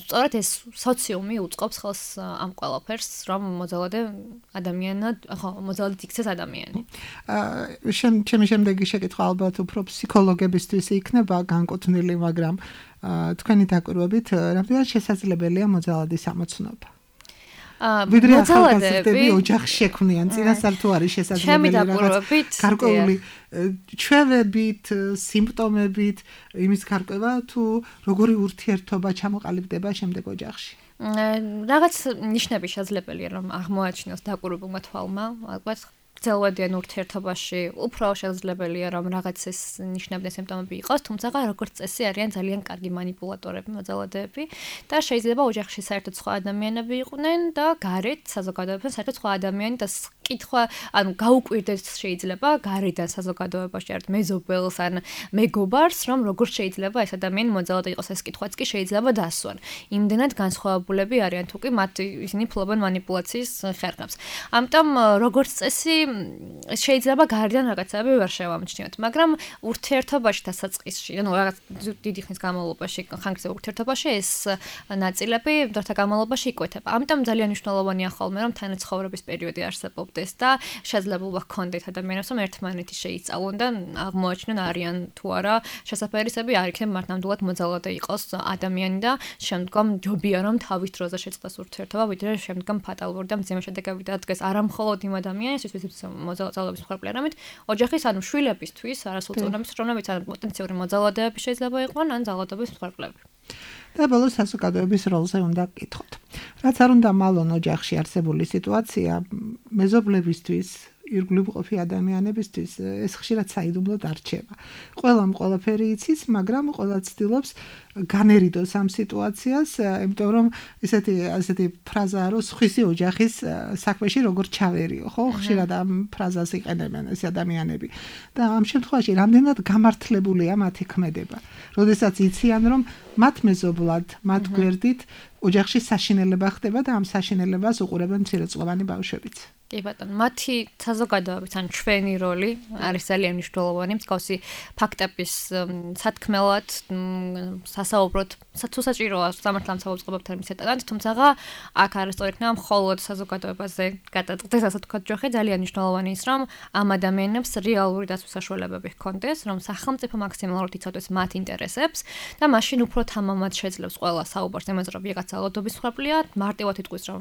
სწორედ ეს სოციუმი უწყობს ხელს ამ ყველაფერს, რომ მოძალადე ადამიანად, ხო, მოძალადედ იქცეს ადამიანი. ჩემი შემდეგი შეკითხვა ალბათ უფრო ფსიქოლოგებისთვის იქნება განკუთვნილი, მაგრამ თქვენი დაკვირვებით რამდენად შესაძლებელია მოძალადის ამოცნობა? ვიდრე ახალგაზრდები ოჯახში შექმნიან, წინასწარ თუ არის შესაძლებელი რაღაც გარკვეული ჩვევებით, სიმპტომებით იმის გარკვევა თუ როგორი ურთიერთობა ჩამოყალიბდება შემდეგ ოჯახში? რაღაც ნიშნები შესაძლებელია რომ აღმოაჩინოს დაკვირვებულმა თვალმა, ალბათ ძელვადიან ურთიერთობაში უფრო შესაძლებელია რომ რაღაც ეს ნიშნები და სიმპტომები იყოს, თუმცა როგორც წესი არიან ძალიან კარგი манипуляტორები, მოძალადეები და შეიძლება ოჯახში საერთოდ სხვა ადამიანები იყვნენ და გარეთ საზოგადოებაში საერთოდ სხვა ადამიანი და კითხვა, ანუ გაუკვირდეს შეიძლება გარედან საზოგადოებაში ერთ მეზობელს ან მეგობარს, რომ როგორ შეიძლება ეს ადამიანი მოძალადე იყოს, ეს კითხვაც კი შეიძლება დასვან. იმდენად განსხვავებულები არიან თუ კი მათ ისინი ფლობენ манипуляციის ხერხებს. ამიტომ როგორც წესი შეიძლება გარედან რაღაცები ვერ შევამჩნიოთ, მაგრამ ურთიერთობაში დასაწყისში, ანუ რაღაც დიდი ხნის განმავლობაში, ხანგრძლივ ურთიერთობაში ეს ნაწილები დროთა განმავლობაში იკვეთება. ამიტომ ძალიან მნიშვნელოვანია ხოლმე რომ თანაცხოვრების პერიოდი არსებობდეს და შესაძლებლობა ჰქონდეთ ადამიანებს რომ ერთმანეთი შეიცვალონ და აღმოაჩინონ არიან თუ არა შესაძლებლობები არ იქნება მათ ნამდვილად მოძალადე იყოს ადამიანი და შემდგომ ჯობია რომ თავის დროზე შეწყდეს ურთიერთობა, ვიდრე შემდგომ ფატალური და მძიმე შედეგები დადგეს არა მხოლოდ იმ ადამიანის, ვისაც მოძალადეობის მხარდლი არამედ ოჯახის ანუ შვილებისთვის, არასრულწლოვანების რომლებიც ან პოტენციური მოძალადეები შეიძლება იყვნენ ან ძალადობის მხარდლები. და ბოლოს საზოგადოების როლზე უნდა გკითხოთ. რაც არ უნდა მალონ ოჯახში არსებული სიტუაცია მეზობლებისთვის ირგვლივ მყოფი ადამიანებისთვის ეს ხშირად საიდუმლოდ არ რჩება. ყველამ ყველაფერი იცის, მაგრამ ყველა ცდილობს განერიდოს ამ სიტუაციას, იმიტომ რომ ესეთი ფრაზაა, რომ სხვისი ოჯახის საქმეში როგორ ჩავერიო, ხო? ხშირად ამ ფრაზას იყენებენ ეს ადამიანები. და ამ შემთხვევაში რამდენად გამართლებულია მათი ქმედება. როდესაც იციან, რომ მათ მეზობლად, მათ გვერდით ოჯახში საშინელება ხდება და ამ საშინელებას უყურებენ მცირეწლოვანი ბავშვებიც. კი ბატონო, მათი საზოგადოების ან ჩვენი როლი არის ძალიან მნიშვნელოვანი, მსგავსი ფაქტების სათქმელად, სასაუბროდ, თუ საჭიროა სამართლიან საუბრობებთან მისეტანად, თუმცა აქ არასწორი იქნება მხოლოდ საზოგადოებაზე გადაწყდეს, ასე თქვა ჯოხი, ძალიან მნიშვნელოვანი ის, რომ ამ ადამიანებს რეალური დაცვის საშუალებები ჰქონდეს, რომ სახელმწიფო მაქსიმალურად იცავდეს მათ ინტერესებს და მაშინ უფრო თამამად შეძლებს ყველა საუბარს იმაზე, რომ ვიღაც ძალადობის მხარდლია, მარტივად იტყვის, რომ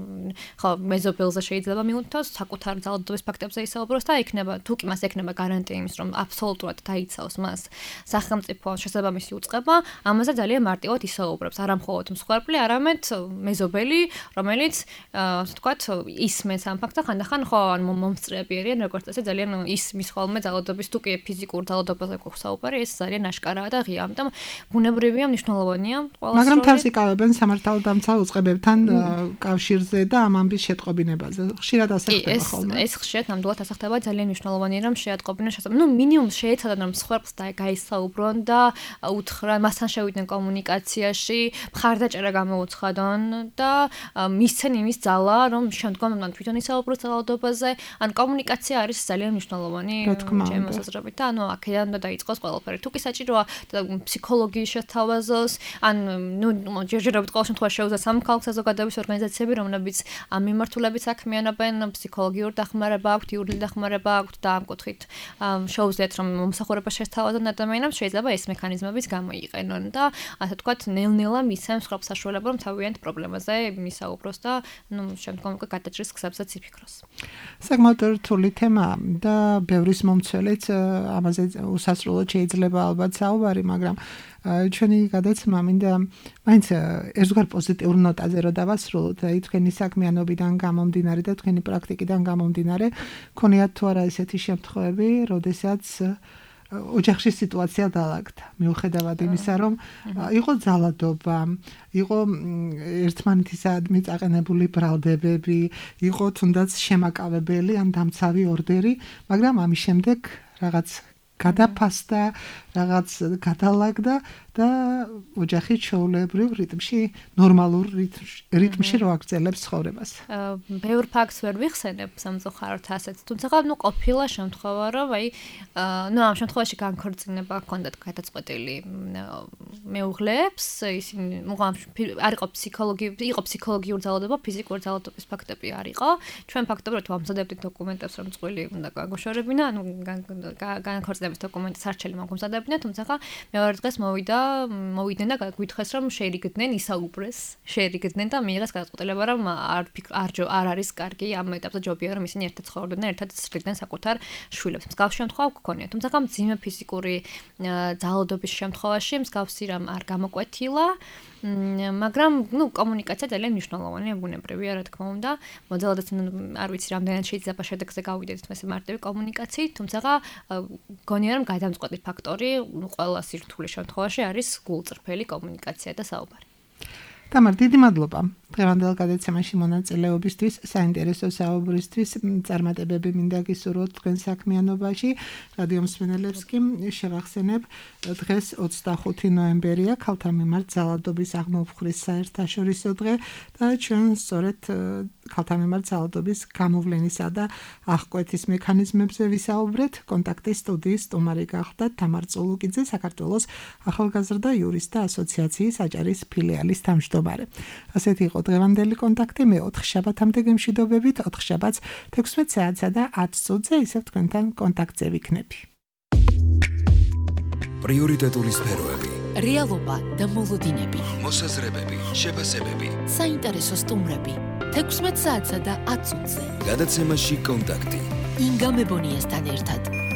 ხო მეზობელზე შეიძლება მიუთითოს საკუთარ ძალადობის ფაქტებზე ისაუბროს და იქნება თუ კი მას ექნება გარანტია იმის რომ აბსოლუტურად დაიცავს მას სახელმწიფო შესაბამისი უწყება, ამაზე ძალიან მარტივად ისაუბრებს, არა მხოლოდ მსხვერპლი, არამედ მეზობელი, რომელიც ასე ვთქვათ, ისმენს ამ ფაქტს და ხანდახან ხო ან მომსწრეები არიან, როგორც წესი ძალიან ისმის ხოლმე ძალადობის თუ კი ფიზიკურ ძალადობაზე გვაქვს საუბარი, ეს ძალიან აშკარაა და ღია, ამიტომ ბუნებრივია, მნიშვნელოვანია ყველა. მაგრამ თავს იკავებენ სამართალდამცავ უწყებებთან კავშირზე და ამ ამბის შეტყობინებაზე. ხშირად ასე ეს ხშირად ნამდვილად ასე ხდება, ძალიან მნიშვნელოვანია რომ შეატყობინონ შესაძლებლობა. მინიმუმ შეეცადონ რომ სხვებს გაისაუბრონ და უთხრან, მასთან შევიდნენ კომუნიკაციაში, მხარდაჭერა გამოუცხადონ და მისცენ იმის ძალა, რომ შემდგომ მან თვითონ ისაუბროს ძალადობაზე, ან კომუნიკაცია არის ძალიან მნიშვნელოვანი ჩემი მოსაზრებით და ანუ აქედან უნდა დაიწყოს ყველაფერი. თუ კი საჭიროა ფსიქოლოგიის შეთავაზოს, ან ჯერჯერობით ყოველ შემთხვევაში შეუძლია სამხალხო საზოგადოების ორგანიზაციები, რომლებიც ამ მიმართულებით საქმიანობენ, ფსიქოლოგიური დახმარება აქვთ, იურიდიული დახმარება აქვთ და ამ კუთხით შეუძლიათ რომ მომსახურება შეთავაზონ ადამიანებს, შეიძლება ეს მექანიზმებიც გამოიყენონ და ასე ვთქვათ, ნელ-ნელა მისცემს სხვებს საშუალება რომ თავიანთ პრობლემაზე მისაუბროს და შემდგომ უკვე გადაჭრის გზებსაც იფიქროს. საკმაოდ რთული თემაა და ბევრის მომცველიც ამაზე უსასრულოდ შეიძლება ალბათ საუბარი, მაგრამ ჩვენი გადაცემა მინდა მაინც ერთგვარ პოზიტიურ ნოტაზე რომ დავასრულოთ, აი თქვენი საქმიანობიდან გამომდინარე და თქვენი პრაქტიკიდან გამომდინარე, ქონიათ თუ არა ესეთი შემთხვევები, როდესაც ოჯახში სიტუაცია დაალაგდა, მიუხედავად იმისა, რომ იყო ძალადობა, იყო ერთმანეთისადმი წაყენებული ბრალდებები, იყო თუნდაც შემაკავებელი ან დამცავი ორდერი, მაგრამ ამის შემდეგ რაღაც გადაფასდა, რაღაც გადალაგდა და ოჯახი ჩვეულებრივ რიტმში, ნორმალურ რიტმში რო აგრძელებს ცხოვრებას. ბევრ ფაქტს ვერ ვიხსენებ სამწუხაროდ ასეთ, თუმცა ყოფილა შემთხვევა, რომ ამ შემთხვევაში განქორწინება ჰქონდათ გადაწყვეტილი მეუღლეებს, ისინი არ იყო ფსიქოლოგიური ძალადობა, ფიზიკური ძალადობის ფაქტები არ იყო. ჩვენ ფაქტობრივად ვამზადებდით დოკუმენტებს, რომ წყვილი უნდა გაგვაშორებინა, ანუ განქორწინების დოკუმენტი სარჩელი მოგვამზადებდნენ, თუმცა მეორე დღეს მოვიდნენ და გვითხრეს რომ შეერიგდნენ, ისაუბრეს, შეერიგდნენ და მიიღეს გადაწყვეტილება რომ არ არის კარგი ამ ეტაპზე, ჯობია რომ ისინი ერთად ცხოვრობდნენ და ერთად ცდილდნენ საკუთარ შვილებს. მსგავსი შემთხვევა გქონია, თუმცა მძიმე ფიზიკური ძალადობის შემთხვევაში მსგავსი რამ არ გამოკვეთილა მაგრამ კომუნიკაცია ძალიან მნიშვნელოვანია, ბუნებრივია, რა თქმა უნდა. მოძალადაც არ ვიცი, რამდენად შეიძლება შედეგზე გავიდეთ ესე მარტივი კომუნიკაციით, თუმცა გონია რომ გადამწყვეტი ფაქტორი ყველა სირთულე შემთხვევაში არის გულწრფელი კომუნიკაცია და საუბარი. თამარ, დიდი მადლობა დღევანდელ გადაცემაში მონაწილეობისთვის, საინტერესო საუბრისთვის. წარმატებები მინდა გისურვოთ თქვენ საქმიანობაში. რადიო მსმენელებს კი შევახსენებ, დღეს 25 ნოემბერია, ქალთა მიმართ ძალადობის აღმოფხრის საერთაშორისო დღე და ჩვენ სწორედ ქალთა მიმართ ძალადობის გამოვლენისა და აღკვეთის მექანიზმებზე ვისაუბრეთ. კონტაქტის სტუდიის სტუმარი გახდა თამარ წულუკიძე, საქართველოს ახალგაზრდა იურისტთა ასოციაციის აჭარის ფილიალის თავმჯდომარე. ასეთი იყო დღევანდელი კონტაქტი. მე 4 შაბათამდე გემშვიდობებით, 4 შაბათს 16 საათსა და 10 წუთზე ისევ თქვენთან კონტაქტზე ვიქნები. პრიორიტეტული სფეროები, რეალობა და მოლოდინები, მოსაზრებები, შეფასებები, საინტერესო სტუმრები 16 საათსა და 10 წუთზე. გადაცემაში კონტაქტი. ინგა მებონიასთან ერთად.